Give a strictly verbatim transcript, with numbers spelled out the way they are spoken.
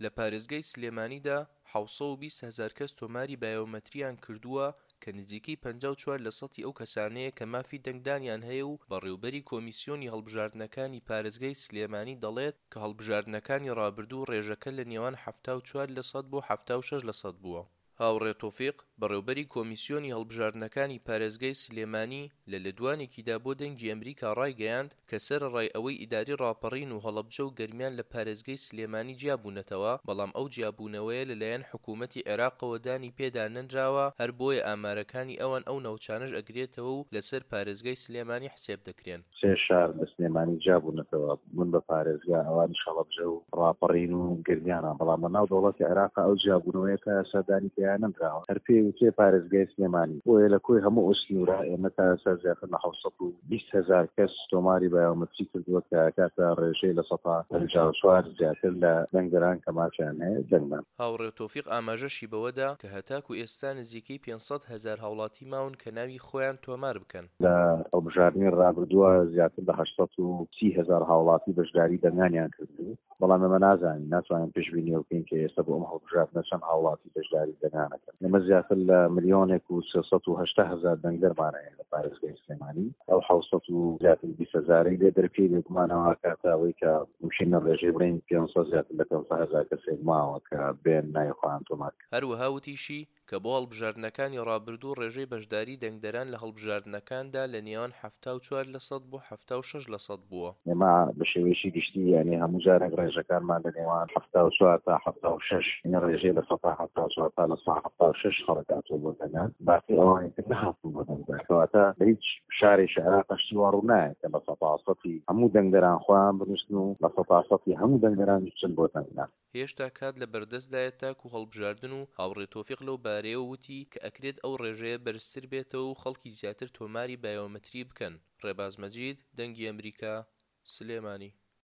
لە پارێزگای سلێمانیدا حەوت سەد و بیست هەزار کەس تۆماری بایۆمەتریان کردووە کە نزیکەی پەنجا و چوار لە سەتی ئەو کەسانەیە کە مافی دەنگدانیان هەیە و بەڕێوبەری کۆمیسیۆنی هەڵبژاردنەکانی پارێزگای سلێمانی دەڵێت کە هەڵبژاردنەکانی ڕابردوو ڕێژەکە لە نێوان حەفتا و چوار لە سەد بۆ حەفتا و شەش لە سەد بووە. هاوڕێ تۆفیق، بەڕێوبەری کۆمیسیۆنی هەڵبژاردنەکانی پارێزگای سلێمانی لە لێدوانێکیدا بۆ دەنگی ئەمریکا ڕایگەیاند کە سەرەڕای ئەوەی ئیداری ڕاپەڕین و هەڵەبجە و گەرمیان لە پارێزگای سلێمانی جیابوونەتەوە بەڵام ئەو جیابوونەوەیە لەلایەن حکومەتی عێراقەوە دانی پێدا نەنراوە هەر بۆیە ئامارەکانی ئەوان ئەو ناوچانەش ئەگرێتەوە و لەسەر پارێزگای سلێمانی حسێب دەکرێن. سێ شار لە سلێمانی جیابوونەتەوە بوون بە پارێزگا، ئەوانیش هەڵەبجە و ڕاپەڕین و گەرمیانە، بەڵام لە ناو دەوڵەتی عێراق ئەو جیابوونەوەیە تا ئێستا دانی پێیا نەنراوە، هەر پێی وترێ پارێزگای سلێمانی. بۆیە لە کۆی هەموو ئەو سنوورە ئێمە تا ئێستا زیاتر لە حەوت سەد و بیست هەزار کەس تۆماری بایۆمەتری کردووە کە ئەکاتە ڕێژەی لە سەتا پەنجا و چوار زیاتر لە دەنگدەران کە مافیان هەیە دەنگدان. هاوڕێ تۆفیق ئاماژەشی بەوەدا کە هەتاکو ئێستا نزیکەی پێنج سەد هەزار هاوڵاتی ماون کە ناوی خۆیان تۆمار بکەن. لە هەڵبژاردنی ڕابردووە زیاتر لە هەشت سەد و سی هەزار هاوڵاتی بەشداری دەنگانیان کردبوو، بەڵام ئێمە نازانین، ناتوانین پێشبینی ئەوە بکەین کە ئێستا بۆ ئەم هەڵبژاردنە چەند هاوڵاتی بەشداری دەنگان ئەکەن. ئێمە زیاتر لە ملیۆنێک و سێ سەد و هەشتا هەزار دەنگدەرمان هەیە لە پارێزگای سلێمانی، ئەو حەوت سەد و زیاتر بیست هەزارەی لێ دەرکەی بێگومان ئەوە ئەکاتە ئەوەی کە ممکنە ڕێژەی بڵێین پێنج سەد زیاتر لە پێنج سەد هەزار کەسێک ماوە کە بێن ناوی خۆیان تۆمار بکەن. هەروەها وتیشی کە بۆ هەڵبژاردنەکانی ڕابردوو ڕێژەی بەشداری دەنگدەران لە هەڵبژاردنەکاندا لە نێوان حەفتا و چوار لە سەد بۆ حەفتا و شەش لە سەد بووە. ئێمە بە شێوەیەکی گشتی یانی هەموو جارێک ڕێژەکانمان لە نێوان حەفتا و چوار تا حەفتا و شەش، یانی ڕێژەی لە سەتا حەفتا و چوار تا لە سەتا حەفتا و شەش خەڵک هاتووە بۆ دەنگدان، باقی ئەوانی تر نەهاتوون بۆ دەنگدان. کەواتە لە هیچ شارێکی عێراق شتی وا ڕوو نایە کە لە سەتا سەتی هەموو دەنگدەران خۆیان بنووسن و لە سەتا سەتی هەموو دەنگدەران بچن بۆ دەنگدان. هێشتا کات لە بەردەستدایە تاکو هەڵبژاردن و هاوڕێ تۆفیق لەو بارەیەوە وتی کە ئەکرێت ئەو ڕێژەیە بەرزتر بێتەوە و خەڵکی زیاتر تۆماری بایۆمەتری بکەن. ڕێباز مەجید، دەنگی ئەمریکا، سلێمانی.